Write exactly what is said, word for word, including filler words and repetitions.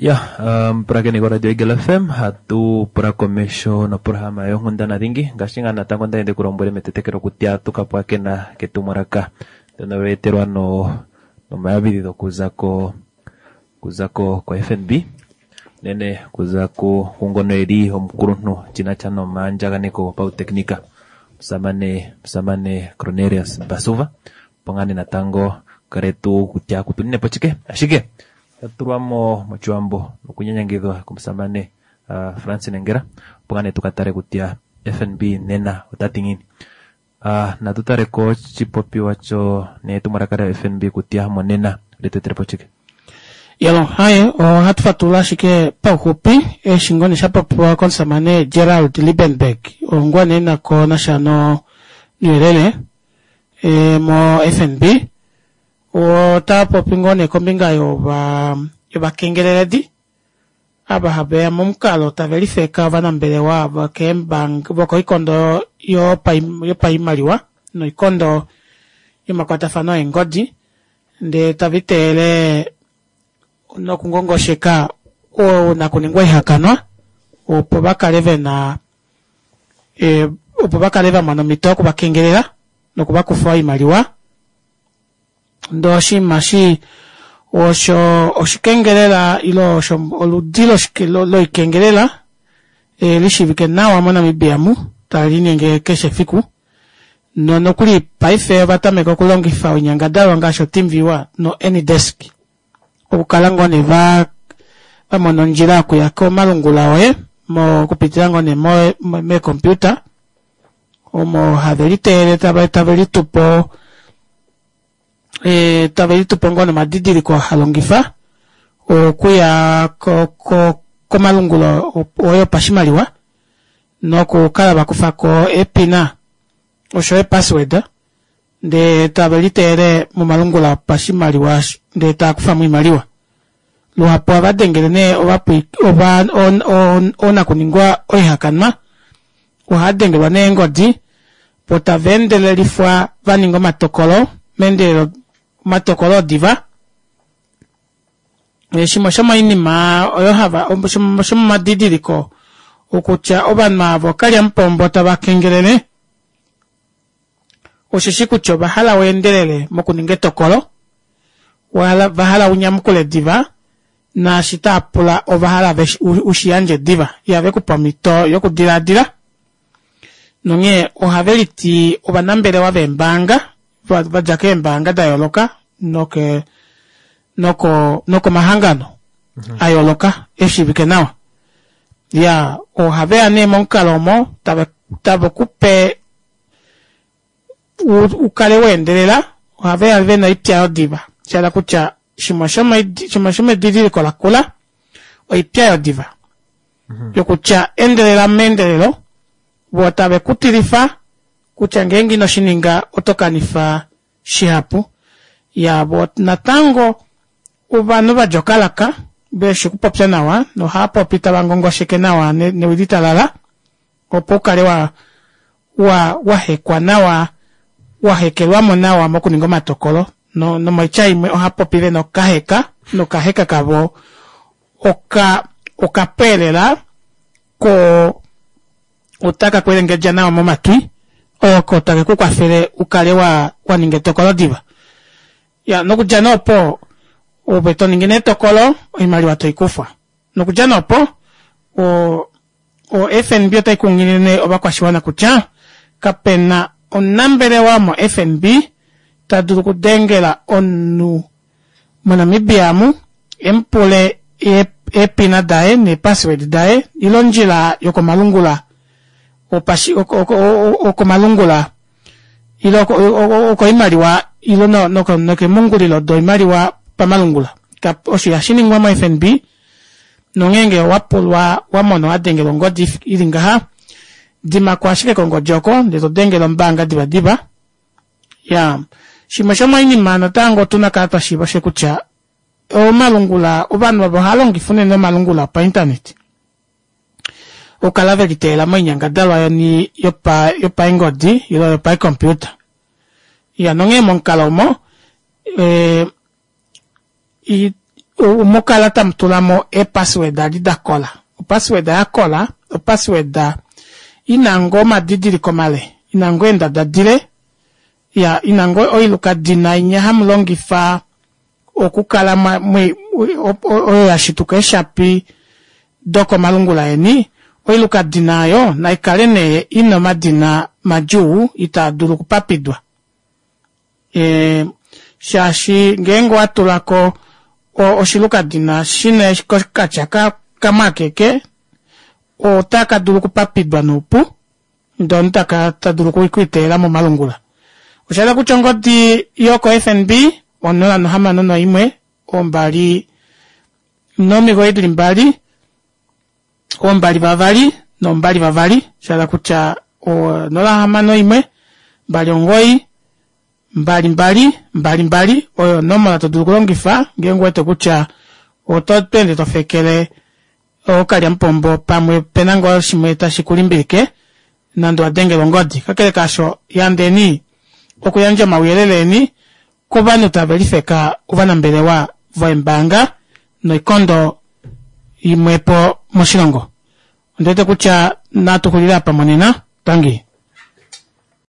Ya, mpulakeni koradio Eagle F M, hatu pula komesho noprograma yonghundana dhingi. Ngaashi ngaa natango nda ende kulombwele metetekelo kutya tukapwakena ketumwalaka ndono lweetelwa no nomayambidhidho okuza ko kuza ko ko F N B nene kuza ku kungono eli omukulunhu chinacha nomaandjaganeko gopauteknika musamane, musamane Cornelius Basuva pongane natango kale tu kutya kutunine po chike ashike tatulwamo mochiwambo nokunyanyangidhwa komusamane, uh, Francine Ngera pongane tukatale kutya F N B nena otati ngini. Uh, natutale ko chipopiwa cho netumwalaka lya F N B kutya monena letetele po chike. Yalo, haye, ohatu fatulula ashike pauxupi eshi ngoo sha popiwa komusamane Gerald Liebenberg ongwa nee nako nasha no nouyelele, e, mo F N B. Ota popi ngoo nee kombinga yova, yovakengeleledi ava haveya momukalo tave lifeka ovanambelewa vokeembank, vokoikondo yopai-, yopaimaliwa noikondo yomakwatafano eengodi, ndee tava iteyele nokungongosheka oonakuningwa oihakanwa opo va kale vena, e, opo va kale va mona omhito yokuvakengelela nokuvakufa oimaliwa. Ndee oshinima shi osho oshikengelela ile osho oludi loshike-, lo-, loikengelela, e, lishiivike nawa moNamibia mu tali linyenge keshe efiku. No, nokuli paife ova tameka okulongifa oinyangadalwa ngaashi oTeamViewer no AnyDesk okukala ngoo nee va, va mona ondjila yokuya komalungula oye mo, okupitila ngoo nee mo, mo, meecomputer omo have liteyele tava, tave litupo, e, tave litupo ngoo nomadidiliko ha longifa okuya ko, ko, komalungulo oye opashimaliwa nokukala vakufako epina osho epassword ndee tave liteyele momalungula opashimaliwa ndee taakufamo oimaliwa. Luhapu ohava dengele nee ovapwi-, ova-, on-, on-, oonakuningwa oihakanwa ohava dengelwa nee eengodi po tava endelelifwa va ninga omatokolo meendelelo, omatokolo odiva. Shimwe shomoinima oyo hava, shomomadidiliko okutya ovanhu avo okalyamupombo tava kengelele osheshi kutya ova hala weendelele mokuninga etokolo, wala, va hala unyamukule diva, naashi tava pula ova hala veshi, u, ushiyandje diva, ihave kupa omhito yokudilaadila. Nonghee ohave liti ovanambelewa veembaanga, va, va dja keembaanga da yooloka noke, noko, nokomahangano Mhm. a yooloka eshiivike nawa. Ya, ohave ya nee momukalo omo tave, tave kupe u, u kale weendelela, ohave ya vena oipya yodiva. Sha hala kutya shimwe shomoi-, shimwe shomedidiliko lakula oipya yodiva. Mhm. Yokutya endelela meendelelo, vo tave kutilifa kutya ngeenge ino shi ninga oto kanifa shihapu. Ya, vo natango ovanhu va dja okalaka veshi okupopya nawa nohava popi tava ngongosheke nawa ne-, newi litalala opo u kale wa, wa, wa hekwa nawa, wa hekelwamo nawa mokuninga omatokolo. No, nomoitya imwe oha popi ve nokaheka, nokaheka kavo oka, okapweelela ko otaka kwelengedja nawa momatwi, oko take ku kwafele u kale wa, wa ninga etokolo diva. Ya, nokudja nee opo, ove to ningi nee etokolo, oimaliwa toi kufwa. Nokudja nee opo, o, o F N B otai kunghilile ovakwashiwana kutya kapena omunambelewa mo F N B ta dulu okudengela omunhu moNamibia amu, emupule e-, eepina daye neepassword daye ile ondjila yokomalungula opashi-, oko, oko, oko, okomalungula ile oko, oko, okoimaliwa ile no, noko, nokemungulilo doimaliwa pamalungula. Kap-, osho ihashi ningwa mo F N B, nongeenge wa pulwa, wa mona wa dengelwa ongodi ili ngaha, dimako ashike kongodi oko, ndee to dengele ombaanga divadiva. Ya, shimwe shomoinima natango otuna kala twa shiiva oshe kutya omalungula, ovanhu ovo ohava longifa unene omalungula opainternet okukala ve liteyela moinyangadalwa yoni yopa, yopaengodi ile yopaicomputer. Ya, nonghee momukalo omo, e, i, Mukala tamutulamo ee password adi dakola o password yakola o password ina ngoo omadidiliko male ina ngoo eendada dile iyaa ina ngoo oilukadina inya hamulongifa okukala oyo yashituka eeshapi dokomalungula eni oilukadina aayo naikale nee ina omadina madjuu itaadulu okupapidwa ee shaashi ngeenge owatulako oshilukadina shina okatya kamwe akeke otakadulu okupapidwa noupu ndee omunhu tadulu okwiiteyela momalungula. Oshahala kutya ongodi yoko fnb onola nohamano noimwe ombali nomigoyi dili mbali oombali vavali nombali vavali shahala kutya onola hamano imwe mbali omugoyi mbali mbali mbali mbali oyo onomola todulu okulongifa ngeenge ouwete kutya oto ende tofekele ookalyamupombo pamwe opena ngoo shimwe tashi kulimbilike nande owadengelwa ongodi kakele kaasho yandeni okuyandja omauyelele eni kovanhu tavelifeka ovanambelewa veembaanga noikondo imwepo moshilongo ondiwete kutya natuxulile aapa monena tangi.